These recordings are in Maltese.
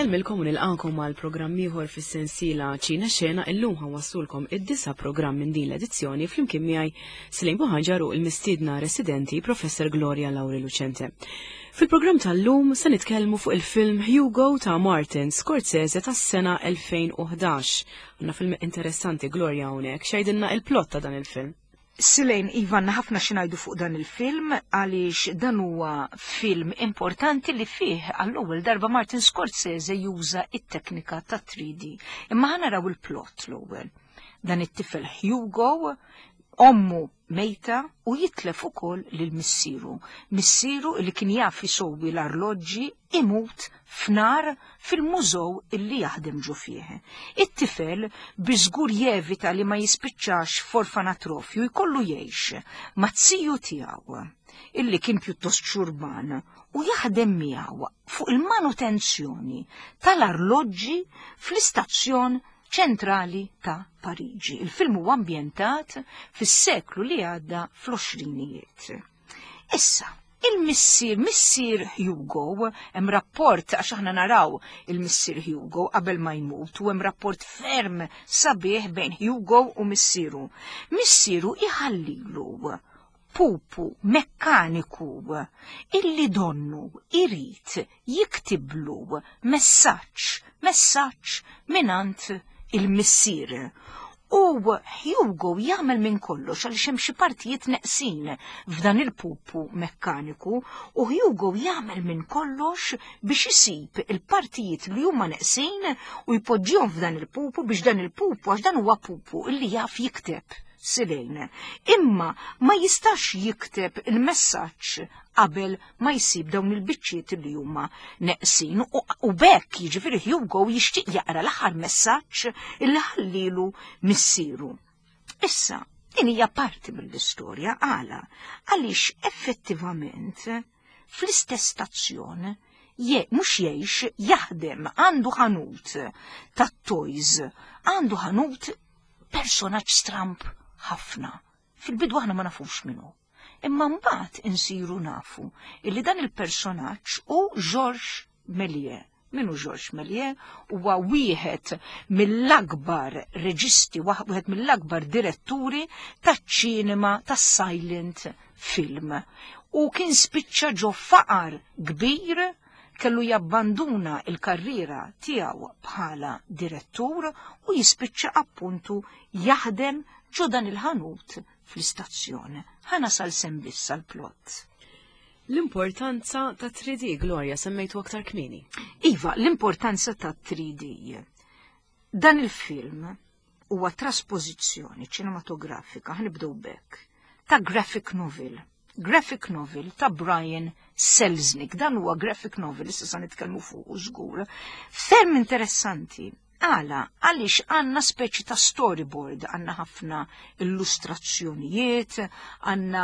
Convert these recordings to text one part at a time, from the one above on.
Insellmilkom u nilqakom għal programm ieħor fis-sensiela Ċina Xena illum ħawassulkom id-disa programm minn din l-edizzjoni flimkien miegħi Slim Buħaġar u l-mistiedna residenti Professor Gloria Lauri Lucente. Fil-programm tal-lum se nitkellmu fuq il-film Hugo ta' Martin Scorsese tas-sena 2011. Għandna film interessanti Gloria hawnhekk, x'għidilna il-plot ta' dan il-film. Silejn, Iva, għandna ħafna xi ngħidu fuq dan il-film għaliex dan huwa film importanti li fih għall-ewwel darba Martin Scorsese juża it-teknika ta' 3D. Imma ħa naraw il-plot l-ewwel. Dan it-tifel Hugo, ommu mejta u jitlef ukoll lil missieru. Missieru li kien jaf isowwi l-arloġġi imut f'nar fil-mużew illi jaħdem ġo fih. It-tifel bi żgur jevita li ma jispiċċax f'orfanatrofju jkollu jgħix mat-ziju tiegħu illi kien pjuttost xurban u jaħdem miegħu fuq il-manutenzjoni tal-arloġġi fl-istazzjon ċentrali ta' Pariġi. Il-film huwa ambjentat fis-seklu li għadda fl-għoxrinijiet. Issa, il-missier, missier Hugo, hemm rapport għax aħna naraw il-missier Hugo qabel ma jmut u hemm rapport ferm sabiħ bejn Hugo u missieru. Missieru iħallilu pupu mekkaniku illi donnu irid jiktiblu messaġġ, messaġġ mingħand il-missier. U Hugo jagħmel minn kollox għaliex hemm xi partijiet neqsin f'dan il-pupu mekkaniku u Hugo jagħmel minn kollox biex isib il-partijiet li huma neqsin u jpoġġihom f'dan il-pupu biex dan il-pupu għax dan huwa pupu illi jaf jikteb silejn. Imma ma jistax jikteb il-messaġġ qabel ma jsib dawn il-biċċiet li huma neqsin u bekk jiġifieri Hugo jixtieq jaqra l-aħħar messaġġ illi ħallilu missieru. Issa, din hija parti mill-istorja għala għaliex effettivament fl-istess stazzjon je mhux jgħix jaħdem għandu ħanut tat-toys, għandu ħanut personaġġ stramp ħafna. Fil-bidu aħna ma nafux minnu. Imma mbagħad insiru nafu illi dan il-personaġġ hu Georges Méliès. Min hu Georges Méliès? Huwa wieħed mill-akbar reġisti, wieħed mill-akbar diretturi taċ-ċinema tas-silent film. U kien spiċċa ġo faqar kbir kellu jabbanduna il-karriera tiegħu bħala direttur u jispiċċa appuntu jaħdem ġo dan il-ħanut fl-istazzjon. Ħa nasal sem biss għall-plot. L-importanza ta' 3D, Gloria, semmejtu aktar kmieni. Iva, l-importanza ta' 3D. Dan il-film huwa traspożizzjoni ċinematografika, ħnibdew bekk, ta' graphic novel. Graphic novel ta' Brian Selznick. Dan huwa graphic novel, issa sa nitkellmu fuq żgur. Ferm interessanti. Għala, għaliex għandna speċi ta' storyboard, għandna ħafna illustrazzjonijiet, għandna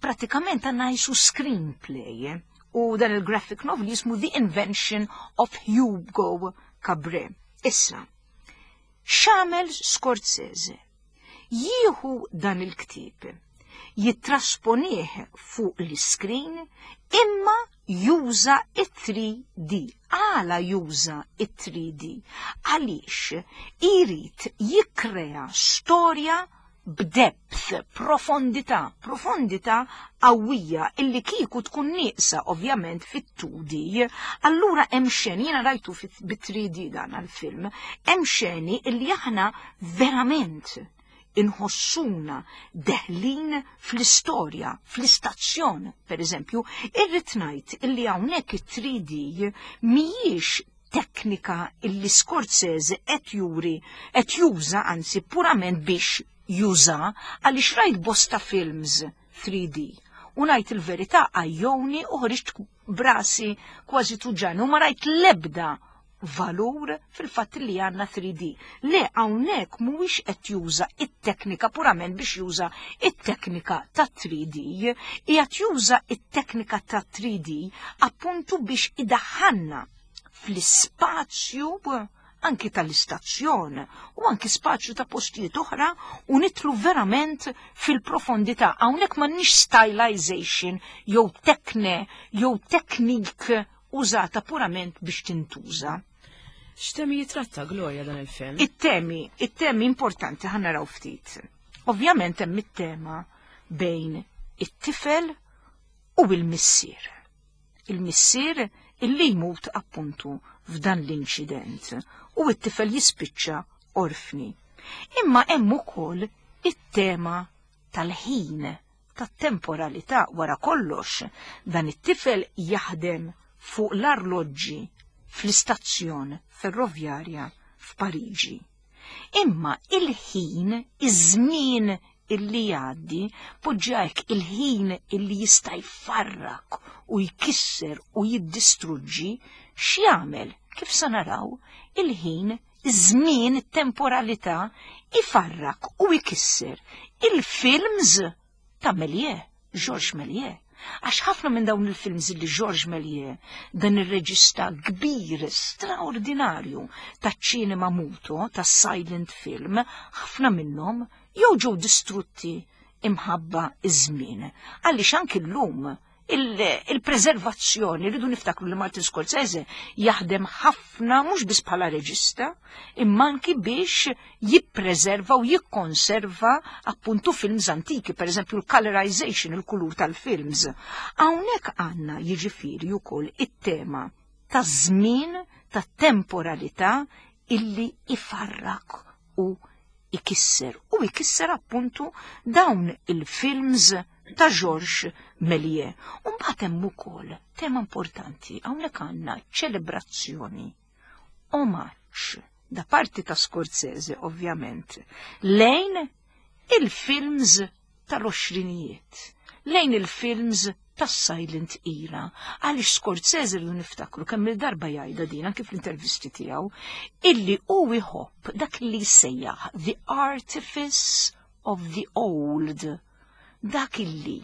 pratikament għandna jisu screenplay. U dan il-graphic novel jismu The Invention of Hugo Cabret. Issa, x'għamel Scorsese? Jieħu dan il-ktieb, jittrasponih fuq l-iskrin imma juża it-3D. Għala juża it-3D? Għaliex irid jikkrea storja b'depth, profondità, profondità qawwija illi kieku tkun nieqsa ovvjament fit-2D. Allura hemm xeni, jiena rajtu bit-3D dan għal-film, hemm xeni illi aħna verament inħossuna deħlin fl-istorja, fl-istazzjon, per eżempju, irrid ngħid illi hawnhekk it-3D mhijiex teknika illi Scorsese qed juri qed juża anzi purament biex juża għaliex rajt bosta films 3D u ngħid il-verità għajjoni u ħriġt brasi kważi tuġani u ma rajt l-ebda valur fil-fatt li għandna 3D. Le hawnhekk mhuwiex qed juża it-teknika purament biex juża it-teknika ta' 3D, qiegħed juża it-teknika ta' 3D appuntu biex idaħħalna fl-ispazju anki tal-istazzjon u anki spazju ta' postijiet oħra u nitlu verament fil-profondità. Hawnhekk m'għandniex stylization jew tekne jew teknik. użata purament biex tintuża. X'temi jitratta Gloria dan il-film? It-temi, it-temi importanti ħa naraw ftit. Ovvjament hemm it-tema bejn it-tifel u il-missier. Il-missier illi jmut appuntu f'dan l-inċident u it-tifel jispiċċa orfni. Imma hemm ukoll it-tema tal-ħin, tat-temporalità wara kollox. Dan it-tifel jaħdem fuq l-arloġġi fl-istazzjon ferrovjarja f'Pariġi. Imma il-ħin, iż-żmien illi jgħaddi, poġġajk il-ħin illi jista' jfarrak u jkisser u jiddistruġġi, x'jagħmel? Kif sa naraw, il-ħin, iż-żmien, it-temporalità ifarrak u jkisser il-films ta' Méliès, Georges Méliès. Għax ħafna minn dawn il-films li Georges Méliès, dan ir-reġista kbir, straordinarju ta' ċinema muto, ta' silent film, ħafna minnhom jew ġew distrutti imħabba iż-żmien. Għaliex anki llum il-preservazzjoni, rridu niftakru li Martin Scorsese jaħdem ħafna mhux biss bħala reġista, imma anki biex jippreserva u jikkonserva appuntu films antiki, per eżempju l-colorization, il-kulur tal-films. Hawnhekk għandna jiġifieri wkoll it-tema ta' żmien, ta' temporalità illi ifarrak u ikisser. U ikisser appuntu dawn il-films ta' Georges Méliès. Umbagħad hemm ukoll tema importanti, hawnhekk għandna ċelebrazzjoni, omaġġ da parti ta' Scorsese ovvjament, lejn il-films tal-għoxrinijiet, lejn il-films tas-silent era. Għaliex Scorsese rridu niftakru kemm il-darba jgħidha din anke fl-intervisti tiegħu, illi hu jħobb dak li jsejjaħ the artifice of the old, dak illi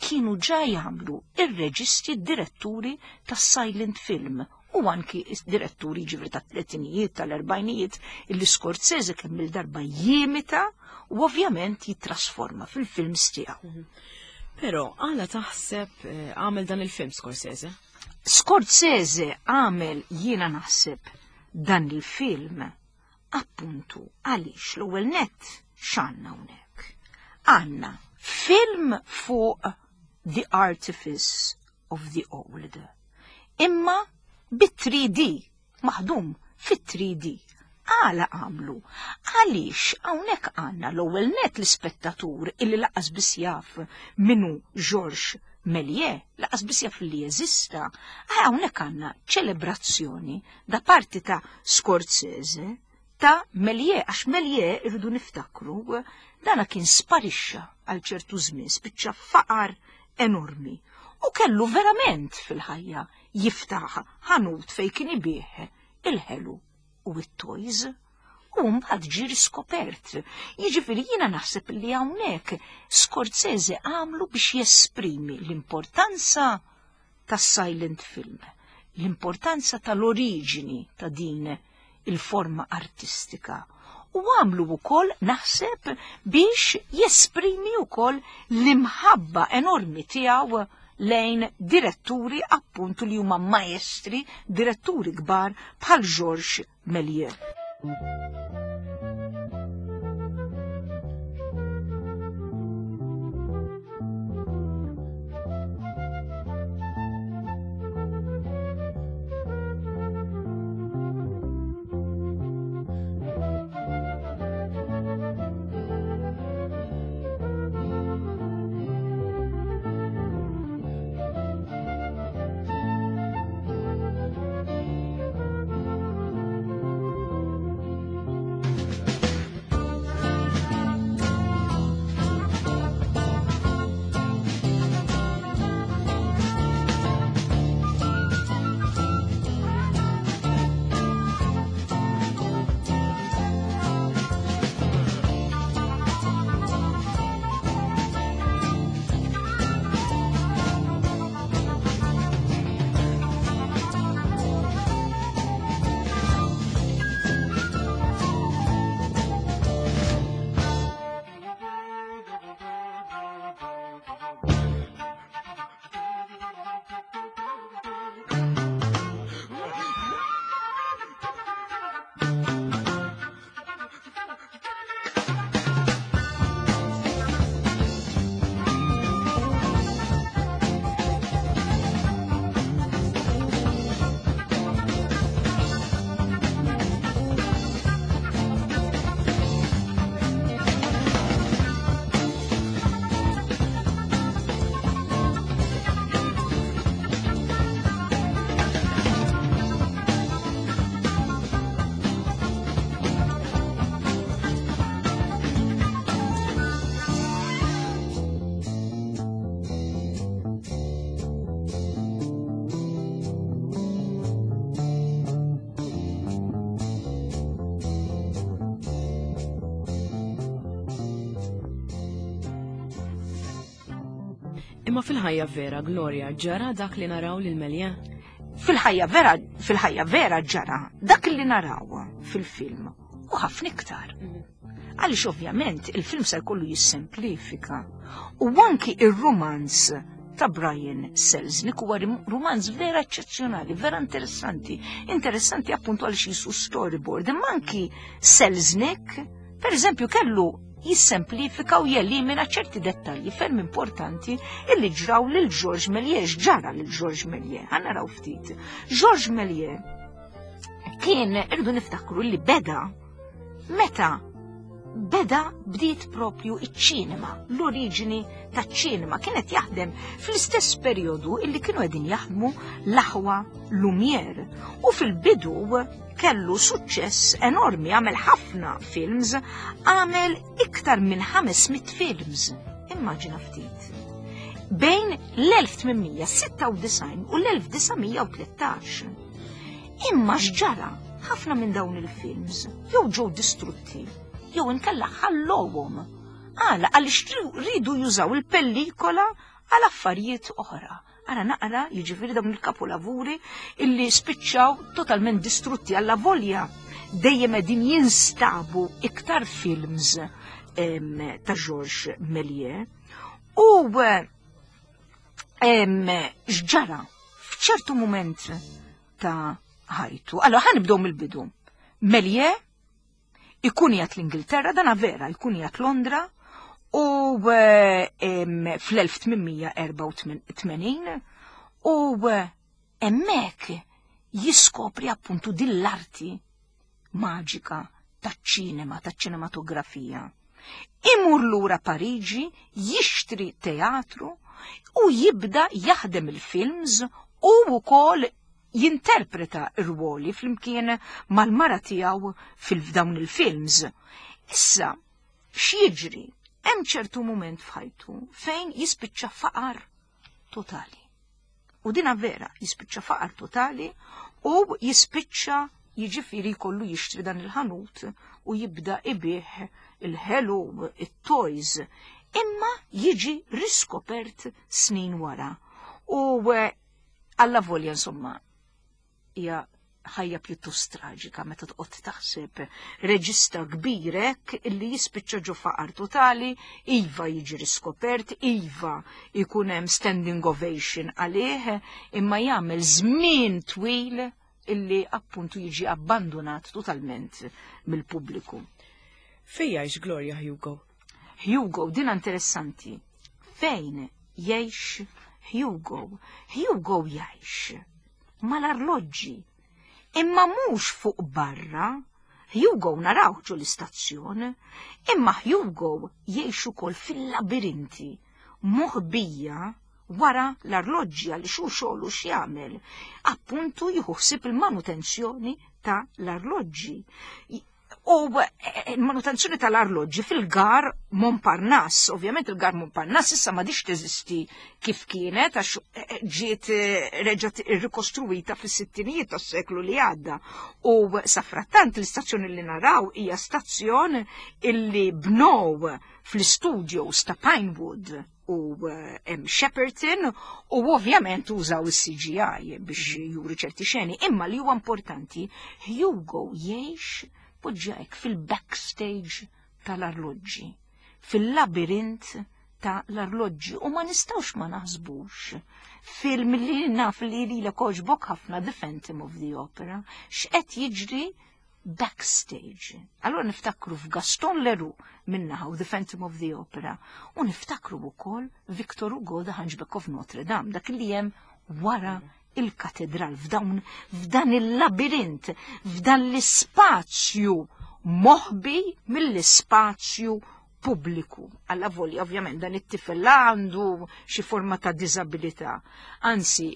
kienu ġa jagħmlu ir-reġisti diretturi tas-silent film u anki diretturi ġifri ta' tletinijiet, tal-erbajnijiet, illi Scorsese kemm il-darba jimita u ovvjament jitrasforma fil-films tiegħu. Però għala taħseb għamel dan il-film Scorsese? Scorsese għamel jiena naħseb dan il-film appuntu għaliex l-ewwel nett x'għandna hawnhekk. Għandna film fuq the artifice of the old. Imma bit-3D, maħdum fit-3D. Għala għamlu? Għaliex hawnhekk għandna l-ewwel net l-ispettatur illi laqas biss jaf minu Georges Méliès, laqas biss jaf li jeżista. Hawnhekk għandna ċelebrazzjoni da parti ta' Scorsese ta' Méliès, għax Méliès irridu niftakru dana kien sparixxa għal ċertu żmien, spiċċa faqar enormi u kellu verament fil-ħajja jiftaħ ħanut fej kien ibih il-ħelu u it-toys. U mbagħad ġie riskopert. Jiġifieri jiena naħseb li hawnhekk Scorsese għamlu biex jesprimi l-importanza tas-silent film, l-importanza tal-oriġini ta' din il-forma artistika. U għamlu wkoll naħseb biex jesprimi wkoll l-imħabba enormi tiegħu lejn diretturi appuntu li huma maestri, diretturi kbar bħal Georges Méliès. Imma fil-ħajja vera, Gloria, ġara dak li naraw lil Méliès? Fil-ħajja vera, fil-ħajja vera ġara dak li naraw fil-film u ħafna iktar. Għaliex ovvjament il-film se jkollu jissemplifika. U anki ir-romanz ta' Brian Selznick huwa romanz vera eċċezzjonali, vera interessanti. Interessanti appuntu għaliex jisu storyboard. Imma anki Selznick, per eżempju, kellu jissemplifika u jelimina ċerti dettalji ferm importanti illi ġraw lil Georges Méliès, ġara lil Georges Méliès. Ħa naraw ftit. Georges Méliès kien irdu niftakru li beda meta beda bdiet propju iċ-ċinema, l-oriġini taċ-ċinema kienet jaħdem fl-istess perjodu illi kienu qegħdin jaħdmu l-aħwa Lumière. U fil-bidu kellu suċċess enormi, għamel ħafna films, għamel iktar minn 500 films. Immaġina ftit. Bejn l-1896 u l-1913. Imma x'ġara ħafna minn dawn il-films jew ġew distrutti jew inkella ħallowhom. Għala għaliex ridu jużaw il-pellikola għal affarijiet oħra. Ara naqra jiġifieri dawn il-kapolavuri illi spiċċaw totalment distrutti għalla volja dejjem qegħdin jinstabu iktar films ta' Georges Méliès. U x'ġara f'ċertu moment ta' ħajtu. Allora ħa nibdew mill-bidu. Méliès ikun jgħat l-Ingilterra, dana vera, jkun jgħat Londra u fl-1884 u hemmhekk jiskopri appuntu din l-arti maġika taċ-ċinema, taċ-ċinematografija. Imur lura Pariġi, jixtri teatru u jibda jaħdem il-films u wkoll jinterpreta r-ruoli flimkien mal-mara tiegħu fil-dawn il-films. Issa, x'jiġri? Hemm ċertu mument f'ħajtu fejn jispiċċa faqar totali. U dina vera, jispiċċa faqar totali u jispiċċa jiġifieri jkollu jixtri dan il-ħanut u jibda ibih il-ħelu, it-toys, imma jiġi riskopert snin wara. U alla volja insomma hija ħajja pjuttost traġika meta toqgħod taħseb reġista kbir hekk illi jispiċċa ġo faqar totali, iva jiġi riskopert, iva jkun hemm standing ovation għalih, imma jagħmel żmien twil illi appuntu jiġi abbandonat totalment mill-pubbliku. Fejn jgħix Gloria Hugo? Hugo, din interessanti. Fejn jgħix Hugo? Hugo jgħix mal-arloġġi. Imma mhux fuq barra. Hugo naraw ġo l-istazzjon, imma Hugo jgħix ukoll fil-labirinti, moħbija wara l-arloġġi għal xu xogħlu x'jagħmel. Appuntu jieħu ħsieb il-manutenzjoni ta' l-arloġġi. U il-manutenzjoni tal-arloġġi fil-gar Montparnasse, ovvjament il-gar Montparnasse issa m'għadix teżisti kif kienet għax ġiet reġgħet rikostruita fis-sittinijiet tas-seklu li għadda. U safrattant l-istazzjoni li naraw hija stazzjon illi bnow fl-studios ta' Pinewood u Shepperton u ovvjament użaw il-CGI biex juri ċerti xeni, imma li huwa importanti, Hugo jgħix poġġajk fil-backstage tal-arloġġi, fil-labirint ta' l-arloġġi u ma nistgħux ma naħsbux film li naf li li l ħafna The Phantom of the Opera, x'qed jiġri backstage. Allora niftakru f'Gaston Leroux minnaħa u The Phantom of the Opera u niftakru wkoll Victor Hugo The Hunchback of Notre Dame, dak li hemm wara il-katedral f'dawn f'dan il-labirint, f'dan l-ispazju moħbi mill-ispazju pubbliku. Alla volja, ovvjament, dan it-tifel għandu xi forma ta' diżabilità. Anzi,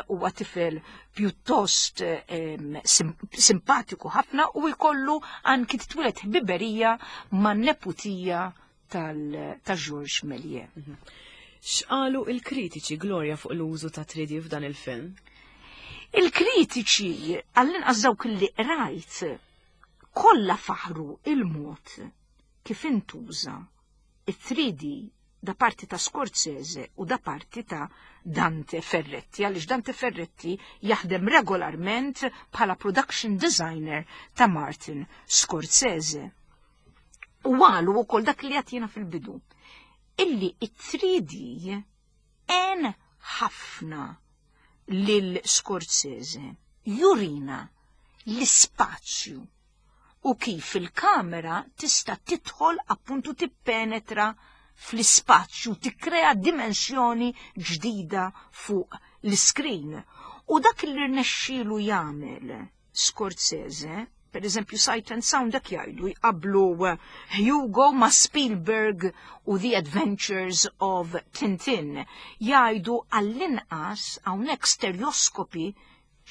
huwa tifel pjuttost simpatiku ħafna u jkollu anki titwieled ħbiberija man neputija ta' Georges Méliès. X'qalu il-kritiċi Gloria fuq l-użu ta' 3D f'dan il-film? Il-kritiċi, għall-inqas dawk li rajt, kollha faħru il-mod kif intuża it-3D. da parti ta' Scorsese u da parti ta' Dante Ferretti, għaliex Dante Ferretti jaħdem regolarment bħala production designer ta' Martin Scorsese. U għalu u kol dak li għatina fil-bidu, illi it-3D en ħafna lil Scorsese jurina l-ispazju u kif il-kamera tista' tidħol appuntu tippenetra fl-ispazju, tikkrea dimensjoni ġdida fuq l-iskrin. U dak li rnexxielu jagħmel Scorsese, per eżempju Sight and Sound dak jgħidu jqablu Hugo ma' Spielberg u The Adventures of Tintin. Jgħidu għall-inqas hawnhekk stereoskopi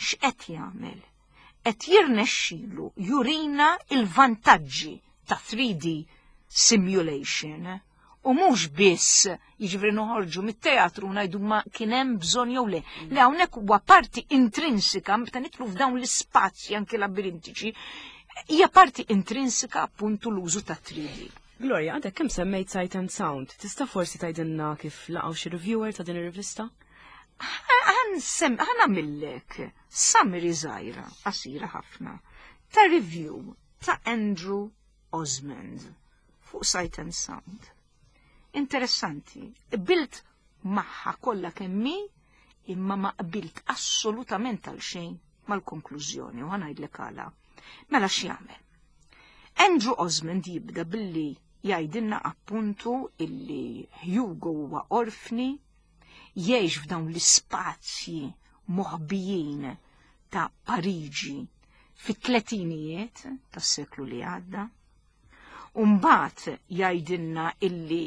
x'qed jagħmel. Qed jirnexxilu jurina il-vantaġġi ta' 3D simulation u mhux biss jiġifieri noħorġu mit-teatru ngħidu ma kien hemm bżonn jew le. Li hawnhekk huwa parti intrinsika meta nidħlu f'dawn l-ispazji anke labirintiċi, hija parti intrinsika appuntu l-użu ta' 3D. Gloria, għadek kemm semmejt Sight and Sound, tista' forsi tgħidilna kif laqgħu xi reviewer ta' din ir-rivista? Ħa nagħmillek summary żgħira, qasira ħafna, ta' review ta' Andrew Osmond fuq Sight and Sound. Interessanti, qbilt magħha kollha kemm hi, imma ma qbilt assolutament għal xejn mal-konklużjoni u ħa ngħidlek għala. Mela x'jagħmel? Andrew Osmond jibda billi jgħidilna appuntu illi Hugo huwa orfni, jgħix f'dawn l-ispazji moħbijin ta' Pariġi fit-tletinijiet tas-seklu li għadda. U mbagħad jgħidilna illi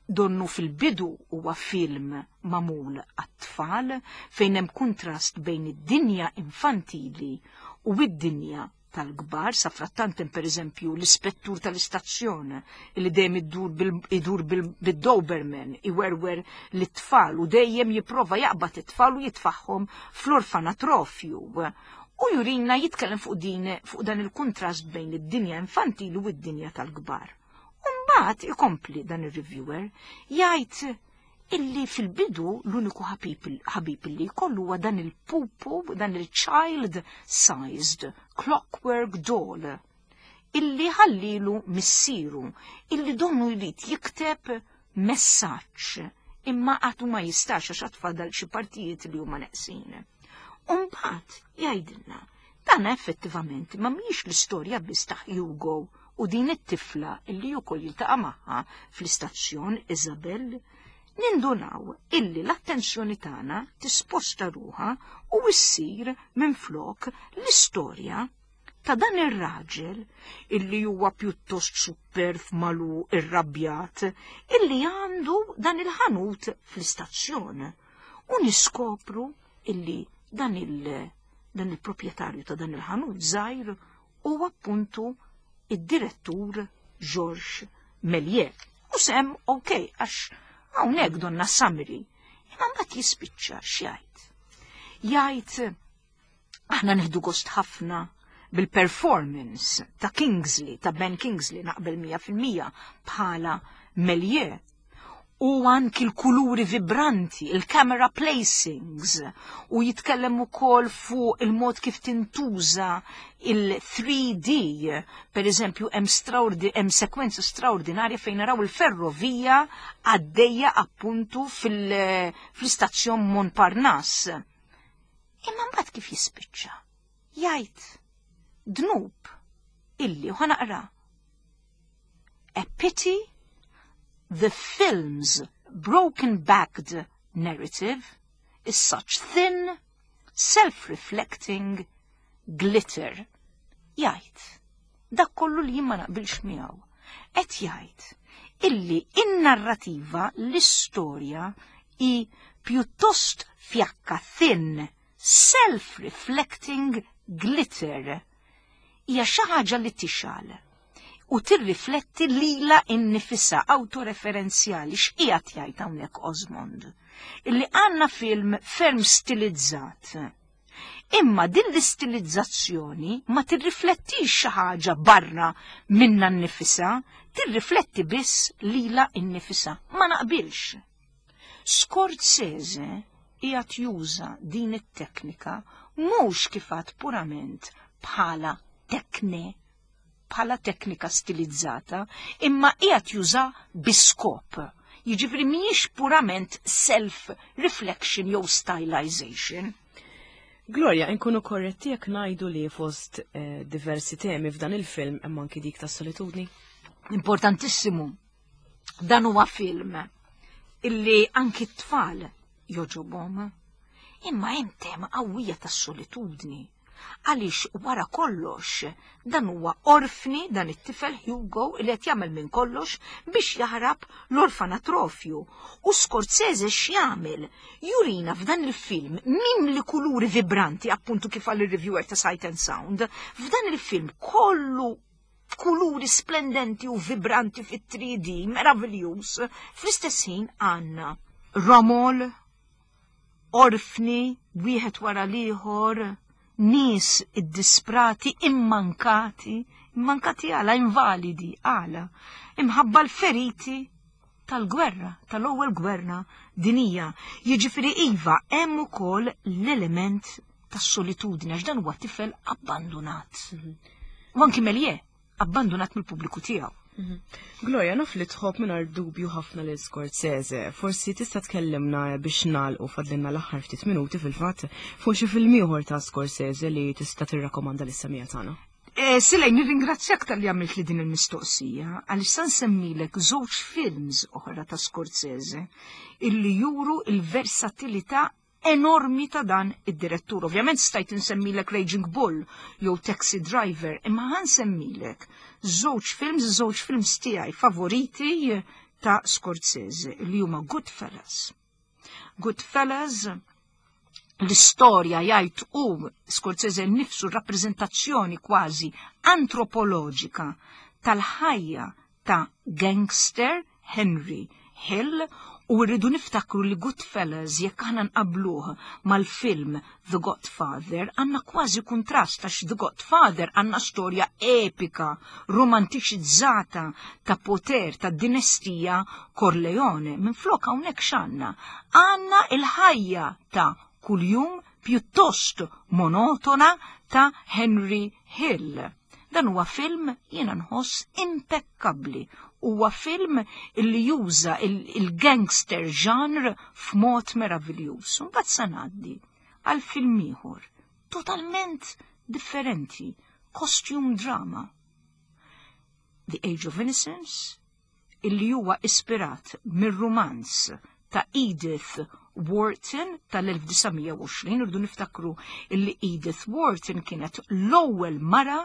donnu fil-bidu huwa film magħmul għat-tfal fejn hemm kuntrast bejn id-dinja infantili u id-dinja tal-kbar, sa frattant hemm pereżempju l-ispettur tal-istazzjon li dejjem idur bil-Doberman iwerwer lit-tfal u dejjem jipprova jaqbad it-tfal u jitfagħhom fl-orfanatrofju. U jurina jitkellem fuq din fuq dan il-kuntrast bejn id-dinja infantili u d-dinja tal-kbar. U mbagħad ikompli dan ir-reviewer jgħid illi fil-bidu l-uniku ħabib li jkollu huwa dan il-pupu, dan il-child sized clockwork doll illi ħallilu missiru, illi donnu jrid jikteb messaġġ imma għadu ma jistax għax għad fadal xi partijiet li huma neqsin. U mbagħad jgħidilna dan effettivament ma mhijiex l-istorja biss ta' Hugo u din it-tifla illi wkoll jiltaqa' magħha fl-istazzjon Isabel, nindunaw illi l-attenzjoni tagħna tisposta ruħha u ssir minflok l-istorja ta' dan ir-raġel illi huwa pjuttost superv malu irrabjat illi għandu dan il-ħanut fl-istazzjon. U niskopru illi dan il dan il-proprjetarju ta' dan il-ħanut żgħir huwa appuntu id-direttur Georges Méliès. U s'hemm ok, għax hawnhekk donna summary. Imma mbagħad jispiċċa x'jgħid. Jgħid aħna nieħdu gost ħafna bil-performance ta' Kingsley, ta' Ben Kingsley, naqbel 100% bħala Méliès. U anki l-kuluri vibranti, il-camera placings, u jitkellem ukoll fuq il-mod kif tintuża il-3D, per eżempju, hemm sekwenza straordinarja fejn naraw il-ferrovija għaddejja appuntu fl-istazzjon Montparnasse. Imma mbagħad kif jispiċċa? Jgħid dnub illi u ħa naqra. A pity the film's broken-backed narrative is such thin, self-reflecting glitter. Jgħid, dak kollu li jien ma naqbilx miegħu. Qed jgħid illi in-narrativa, l-istorja hi pjuttost fjakka thin, self-reflecting glitter. Hija xi ħaġa li tixgħel u tirrifletti lila innifisha autoreferenzjali x'qiegħed jgħid hawnhekk Osmond. Illi għandna film ferm stilizzat. Imma din l-istilizzazzjoni ma tirriflettix xi ħaġa barra minna nnifisha, tirrifletti biss lilha nnifisha. Ma naqbilx. Scorsese qiegħed juża din it-teknika mhux kif għad purament bħala tekne, bħala teknika stilizzata, imma qiegħed juża bi skop. Jiġifieri mhijiex purament self-reflection jew stylization. Gloria, inkunu korretti jekk ngħidu li fost eh, diversi temi f'dan il-film hemm anki dik tas-solitudni? Importantissimu. Dan huwa film illi anki t-tfal joġobhom. Imma hemm tema qawwija tas-solitudni. Għaliex wara kollox dan huwa orfni dan it-tifel Hugo li qed jagħmel minn kollox biex jaħrab l-orfanatrofju. U Scorsese x'jagħmel? Jurina f'dan il-film mimli kuluri vibranti, appuntu kif għal ir-reviewer ta' Sight and Sound, f'dan il-film kollu kuluri splendenti u vibranti fit-3D, meraviljuż, fl-istess ħin għandna romol, orfni, wieħed wara l-ieħor, nies iddisprati, immankati, immankati għala, invalidi għala, imħabba l-feriti tal-gwerra, tal-ewwel gwerra dinija. Jiġifieri iva hemm ukoll l-element tas-solitudni għax dan huwa tifel abbandunat. U anki Melie, abbandunat mill-pubbliku tiegħu. Mhm. Gloria, naf li tħobb mingħajr dubju ħafna lil Scorsese. Forsi tista' tkellimna biex nagħlqu fadlinna l-aħħar ftit minuti fil-fatt fuq xi film ieħor ta' Scorsese li tista' tirrakkomanda lis-semija tagħna. Eh, Silej, nirringrazzjak tal-li għamilt li din il-mistoqsija, għaliex san semmilek żewġ films oħra ta' Scorsese illi juru il-versatilità enormi ta' dan id-direttur. Ovvjament stajt insemmilek Raging Bull jew Taxi Driver, imma ħa nsemmilek żewġ films, żewġ films tiegħi favoriti ta' Scorsese li huma Goodfellas. Goodfellas l-istorja jgħid u Scorsese nnifsu rappreżentazzjoni kważi antropoloġika tal-ħajja ta' gangster Henry Hill u rridu niftakru li Goodfellas jekk aħna nqabluh mal-film The Godfather għandna kważi kuntrast għax The Godfather għandna storja epika, romantiċizzata ta' poter ta' dinastija Corleone. Minflok hawnhekk x'għandna? Għandna il-ħajja ta' kuljum pjuttost monotona ta' Henry Hill. Dan huwa film jiena nħoss impekkabbli. Huwa film illi juża il-gangster genre f'mod meraviljuż. Mbagħad sa ngħaddi għal film ieħor totalment differenti, costume drama. The Age of Innocence, illi huwa ispirat mir-rumanz ta' Edith Wharton tal-1920, irdu niftakru illi Edith Wharton kienet l-ewwel mara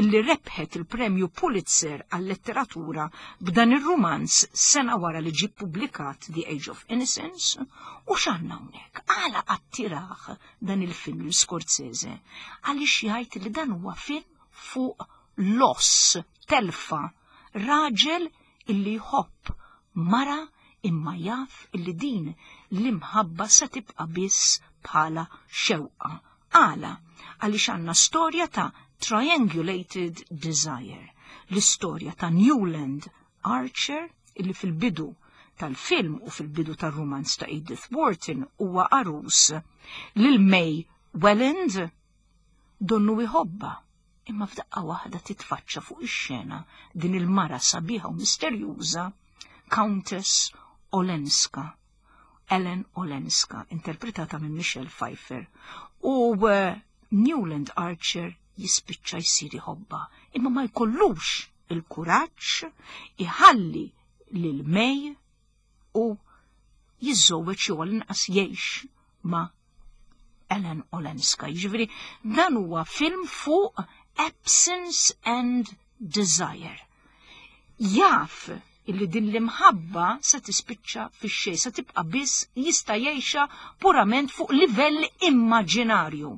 illi rebħet il-Premju Pulitzer għal-letteratura b'dan ir-rumanz sena wara li ġie ppubblikat The Age of Innocence, u x'għandna hawnhekk? Għala attirah dan il-film lil Scorsese? Għaliex jgħid li dan huwa film fuq loss, telfa, raġel illi jħobb mara imma jaf illi din l-imħabba se tibqa' biss bħala xewqa. Għala? Għaliex għandna storja ta' triangulated desire. L-istorja ta' Newland Archer illi fil-bidu tal-film u fil-bidu tar-rumanz ta' Edith Wharton huwa għarus lil May Welland donnu jħobbha Imma f'daqqa waħda titfaċċa fuq ix-xena din il-mara sabiħa u misterjuża, Countess Olenska. Ellen Olenska, interpretata minn Michelle Pfeiffer. U eh, Newland Archer jispiċċa jsir iħobba, imma ma jkollux il-kuraġġ iħalli lil May u jiżżewweġ jew għall-inqas jgħix ma' Ellen Olenska. Jiġifieri dan huwa film fuq absence and desire. Jaf illi din l-imħabba se tispiċċa fix-xejn, se tibqa' biss jista' jgħixha purament fuq livell immaġinarju.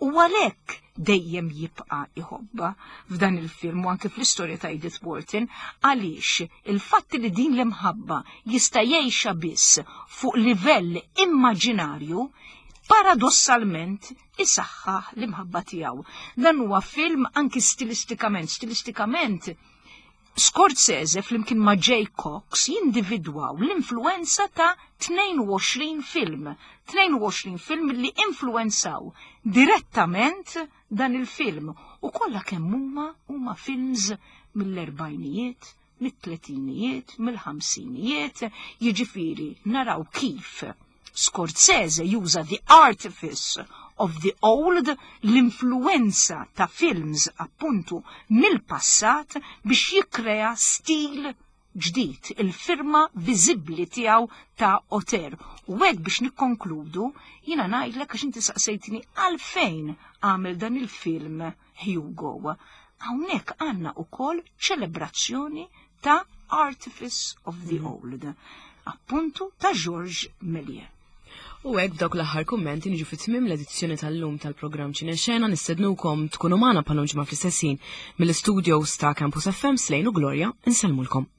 U għalhekk dejjem jibqa' iħobbha f'dan il-film u anke fl-istorja ta' Edith Wharton għaliex il-fatt li din l-imħabba jista' jgħixha biss fuq livell immaġinarju Paradossalment isaħħaħ l-imħabba tiegħu. Dan huwa film anki stilistikament, stilistikament Scorsese flimkien ma' Jay Cox jindividwaw l-influenza ta' 22 film, 22 film li influenzaw direttament dan il-film u kollha kemm huma huma films mill-erbajnijiet, mit-tletinijiet, mill-ħamsinijiet, jiġifieri naraw kif Scorsese juża the artifice of the old, l-influenza ta' films appuntu mill-passat biex jikkrea stil ġdid, il-firma viżibbli tiegħu ta' auteur. U hekk biex nikkonkludu, jiena ngħidlek għax inti saqsejtni għalfejn għamel dan il-film Hugo. Hawnhekk għandna ukoll ċelebrazzjoni ta' Artifice of the Old, appuntu ta' Georges Méliès. U hekk b'dawk l-aħħar kummenti niġu fi tmiem l-edizzjoni tal-lum tal-programm Ċinexena nistednukom tkunu magħna bħal ġimgħa fl-istess ħin mill-istudios ta' Campus FM Slejn u Gloria insellmulkom.